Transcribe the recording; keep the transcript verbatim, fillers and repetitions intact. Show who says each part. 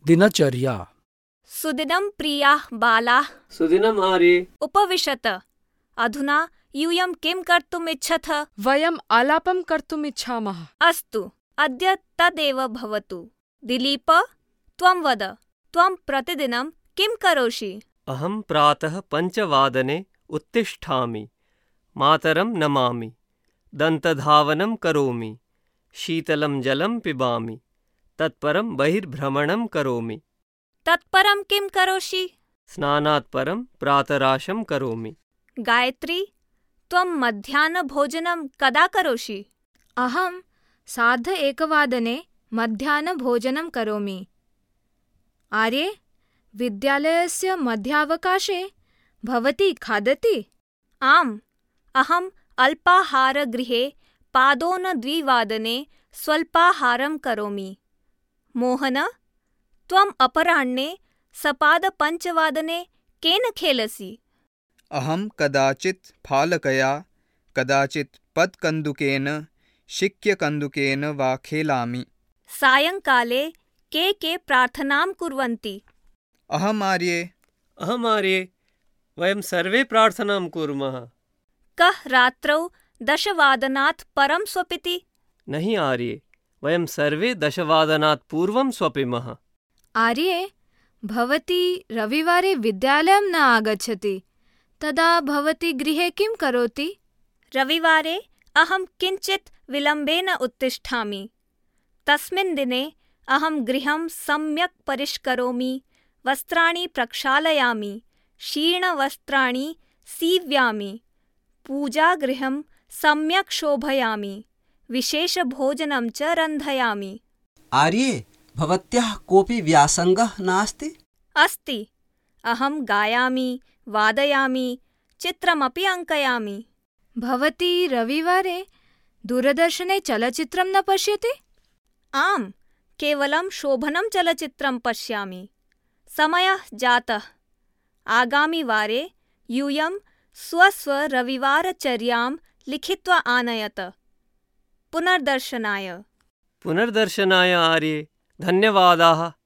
Speaker 1: दिनचर्या।
Speaker 2: सुदिनं प्रियाः बालाः।
Speaker 3: सुदिनम् आर्ये।
Speaker 2: उपविशत। अधुना यूयं किं कर्तुम् इच्छथ?
Speaker 4: वयम् आलापं कर्तुम् इच्छामः।
Speaker 2: अस्तु, अद्य तदेव भवतु। दिलीप, त्वं वद, त्वं प्रतिदिनं किं करोषि?
Speaker 3: अहं प्रातः पञ्चवादने उत्तिष्ठामि, मातरं नमामि, दन्तधावनं करोमि, शीतलं जलं पिबामि, तत्परं बहिर्भ्रमणं करोमि।
Speaker 2: तत्परं किं करोषि?
Speaker 3: स्नानात् परं प्रातराशं करोमि।
Speaker 2: गायत्री, त्वं मध्याह्नभोजनं कदा करोषि?
Speaker 5: अहं सार्ध एकवादने मध्याह्नभोजनं करोमि। आर्ये, विद्यालयस्य मध्यावकाशे भवती खादति?
Speaker 2: आम्, अहम् अल्पाहारगृहे पादोनद्विवादने स्वल्पाहारं करोमि। मोहन, त्वम् अपराह्णे सपादपञ्चवादने केन खेलसि?
Speaker 6: अहं कदाचित् फालकया, कदाचित् पत्कन्दुकेन, शिक्यकन्दुकेन वा खेलामि।
Speaker 2: सायङ्काले के के प्रार्थनां कुर्वन्ति?
Speaker 6: अहम् आर्ये।
Speaker 3: अहम् आर्ये। वयं सर्वे प्रार्थनां कुर्मः।
Speaker 2: कः रात्रौ दशवादनात् परं स्वपिति?
Speaker 3: नहि आर्ये, वयं सर्वे दशवादनात् पूर्वं स्वपिमः।
Speaker 5: आर्ये, भवती रविवारे विद्यालयं न आगच्छति, तदा भवती गृहे किं करोति?
Speaker 2: रविवारे अहं किञ्चित् विलम्बेन उत्तिष्ठामि। तस्मिन् दिने अहं गृहं सम्यक् परिष्करोमि, वस्त्राणि प्रक्षालयामि, शीर्णवस्त्राणि सीव्यामि, पूजागृहं सम्यक् शोभयामि, विशेषभोजनं च रन्धयामि।
Speaker 7: आर्ये, भवत्याः कोऽपि व्यासङ्गः नास्ति?
Speaker 2: अस्ति, अहं गायामि, वादयामि, चित्रमपि अङ्कयामि।
Speaker 5: भवती रविवारे दूरदर्शने चलचित्रं न पश्यति?
Speaker 2: आम्, केवलं शोभनं चलचित्रं पश्यामि। समयः जातः। आगामिवारे यूयं स्वस्वरविवारचर्यां लिखित्वा आनयत। पुनर्दर्शनाय।
Speaker 3: पुनर्दर्शनाय आर्ये। धन्यवादाः।